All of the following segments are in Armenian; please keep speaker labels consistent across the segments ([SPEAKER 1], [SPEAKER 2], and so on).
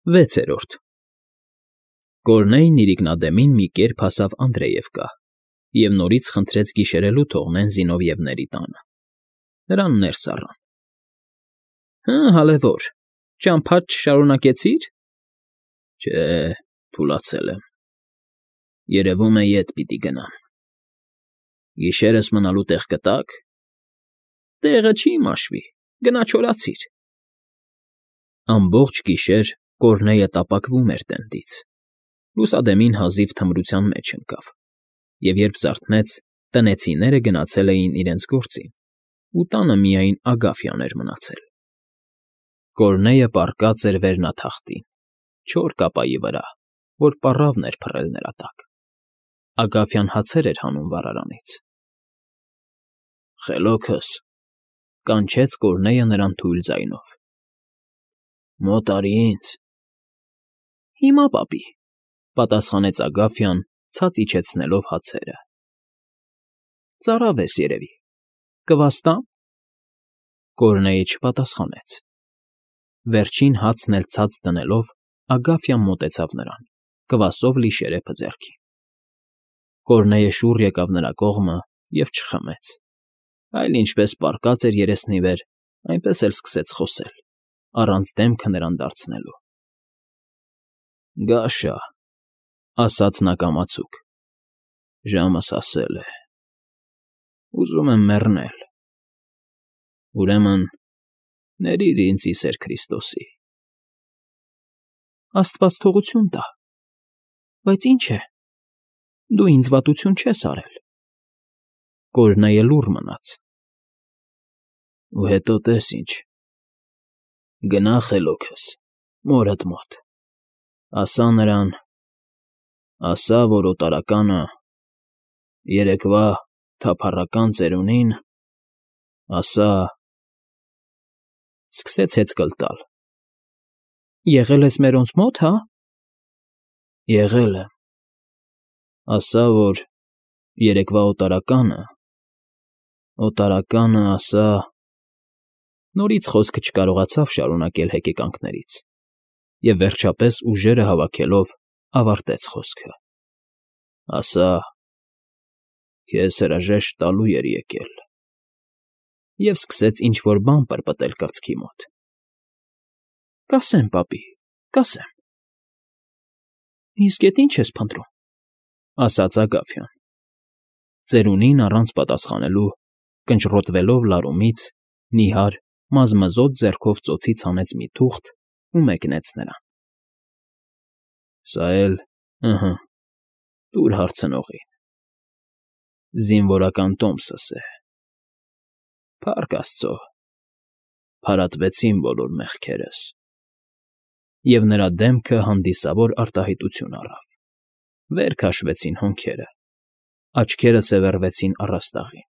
[SPEAKER 1] 6-րդ Կորնեյն իրիկնադեմին մի կերպ հասավ Անդրեևկա և նորից խնդրեց գիշերելու թողնեն Զինովիևների տանը. նրան ներս առան։ ֊ Հալևոր, ճամփադ չշարունակեցի՞ր։ ֊ Չէ, թուլացել եմ, երևում է ետ պիտի գնամ։ Գիշերս մնալու տեղ կտա՞ք։ ֊ Տեղը չի մաշվի, գնա չորացիր։ Ամբողջ գիշեր Կորնեյը տապակվում էր տենդից, լուսադեմին հազիվ թմրության մեջ ընկավ, և երբ զարթնեց, տնեցիները գնացել էին իրենց գործին, ու տանը միայն Ագաֆյան էր մնացել։ Կորնեյը պառկած էր վերնաթախտին, չոր կապայի վրա, որ պառավն էր փռել նրա տակ։ Ագաֆյան հացեր էր հանում վառարանից։ ֊ Խելոքս,֊ կանչեց Կորնեյը նրան թույլ ձայնով։ ֊ Մոտ արի ինձ։ ֊ Հիմա, պապի,֊ պատասխանեց Ագաֆյան, ցած իջեցնելով հացերը։ ֊ Ծարավ ես, երևի, կվաստա՞մ։ Կորնեյը չպատասխանեց։ Վերջին հացն էլ ցած դնելով, Ագաֆյան մոտեցավ նրան, կվասով լի շերեփը ձեռքին։ Կորնեյը շուռ եկավ նրա կողմը և չխմեց, այլ ինչպես պառկած էր երեսնի վեր, այնպես էլ սկսեց խոսել, առանց դեմքը նրան դարձնելու։ ֊ Գաշա,֊ ասաց նա կամացուկ,֊ ժամս հասել է, ուզում եմ մեռնել, ուրեմն ներիր ինձ ի սեր Քրիստոսի։ ֊ Աստված թողություն տա, բայց ինչ է, դու ինձ վատություն չես արել։ Կորնեյը լուռ մնաց։ ֊ Ու հետո տես ինչ, գնա խելոքս, մորդ մոտ, ասա նրան, ասա, որ օտարականը երեկվա թափառական ծերունին, ասա… Սկսեց հեծկլ տալ։ ֊ Եղել ես մերոնց մոտ, հա՞։ ֊ Եղել եմ, ասա, որ երեկվա օտարականը, ասա… Նորից խոսքը չկարողացավ շարունակել հեկեկանքներից և վերջապես ուժերը հավաքելով ավարտեց խոսքը. ասա… քեզ հրաժեշտ տալու էր եկել… Եվ սկսեց ինչ֊որ բան պրպտել կրծքի մոտ։ ֊ Կասեմ, պապի, կասեմ։ ֊ Իսկ էդ ի՞նչ ես փնտրում,֊ ասաց Ագաֆյան։ Ծերունին առանց պատասխանելու, կնճռոտվելով լարումից, նիհար, մազմզոտ ձեռքով ծոցից հանեց մի թուղթ ու մեկնեց նրան։ ֊ Սա էլ, ըհը, տուր հարցնողին… Զինվորական տոմսս է… Փառք աստծո, փարատվեցին բոլոր մեղքերս… Եվ նրա դեմքը հանդիսավոր արտահայտություն առավ, վեր քաշվեցին հոնքերը, աչքերը սևեռվեցին առաստաղին,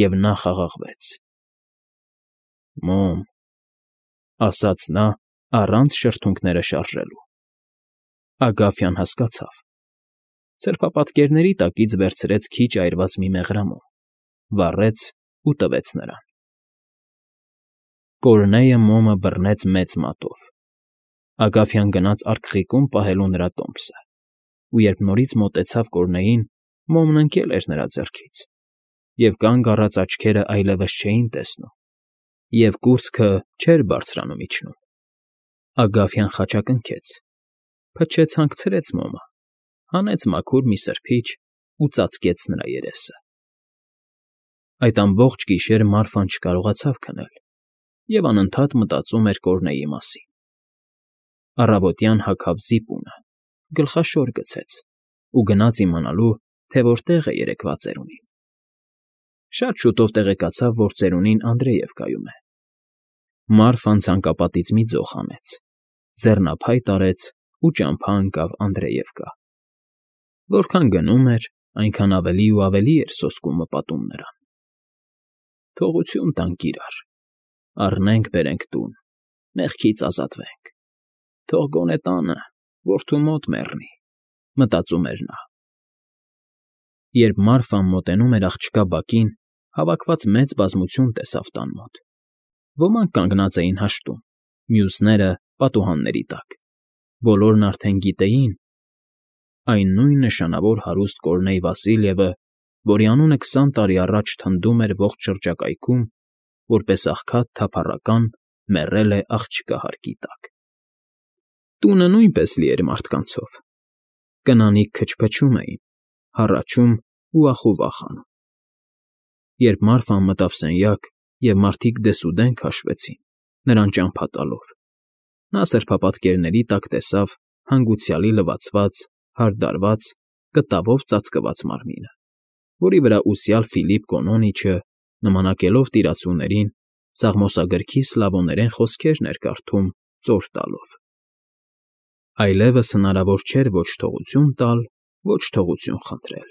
[SPEAKER 1] և նա խաղաղվեց։ ֊ Մոմ,֊ ասաց նա, առանց շրթունքները շարժելու։ Ագաֆյան հասկացավ։ Սրբապատկերների տակից վերցրեց քիչ այրված մի մեղրամոմ, վառեց ու տվեց նրան։ Կորնեյը մոմը բռնեց մեծ մատով։ Ագաֆյան գնաց արկղիկում պահելու նրա տոմսը, ու երբ նորից մոտեցավ Կորնեյին, մոմն ընկել էր նրա ձեռքից, և կանգ առած աչքերը այլևս չէին տեսնում, և կուրծքը չէր բարձրանում իջնում։ Ագաֆյան խաչակնքեց, փչեց հանգցրեց մոմը, հանեց մաքուր մի սրբիչ ու ծածկեց նրա երեսը։ Այդ ամբողջ գիշեր Մարֆան չկարողացավ քնել և անընդհատ մտածում էր Կորնեյի մասին։ Առավոտյան հագավ զիպունը, գլխաշոր գցեց ու գնաց իմանալու, թե որտեղ է երեկվա ծերունին։ Շատ շուտով տեղեկացավ, որ ծերունին Անդրեևկայում է։ Մարֆան ցանկապատից մի ձող հանեց, ձեռնափայտ արեց ու ճամփա ընկավ Անդրեևկա։ Որքան գնում էր, այնքան ավելի ու ավելի էր սոսկումը պատում նրան։ Թողություն տանք իրար, առնենք֊բերենք տուն, մեղքից ազատվենք, թող գոնե տանը, որդու մոտ մեռնի, մտածում էր նա։ Երբ Մարֆան մոտենում էր աղջկա բակին, հավաքված մեծ բազմություն տեսավ տան մոտ։ Ոմանք կանգնած էին հաշտում, մյուսները՝ պատուհանների տակ, Բոլորն արդեն գիտեին, այն նույն նշանավոր հարուստ Կորնեյ Վասիլյևը, որի անունը 20 տարի առաջ թնդում էր ողջ շրջակայքում, որպես աղքատ թափառական մեռել է աղջկա հարկի տակ։ Տունը նույնպես լի էր մարդկանցով. կնանիք քչփչում էին, հառաչում ու ախովախանում։ Երբ Մարֆան մտավ սենյակ, և մարդիկ դեսուդեն քաշվեցին, նրան ճամփա տալով, նա սրբապատկերների տակ տեսավ հանգուցյալի լվացված, հարդարված, կտավով ծածկված մարմինը, որի վրա ուսյալ Ֆիլիպ Կոնոնիչը, նմանակելով տիրացուներին, սաղմոսագրքի սլավոներեն խոսքերն էր կարդում ծոր տալով։ Այլևս հնարավոր չէր ոչ թողություն տալ, ոչ թողություն խնդրել։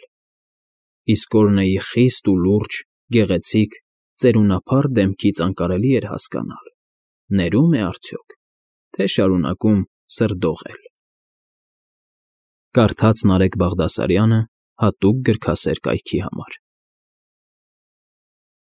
[SPEAKER 1] Իսկ Կորնեյի խիստ ու լուրջ, գեղեցիկ, ծերունափառ դեմքից անկարելի էր հասկանալ՝ ներում է արդյոք, թե շարունակում սրդողել։ Կարդաց Նարեկ Բաղդասարյանը հատուկ գրքասեր կայքի համար։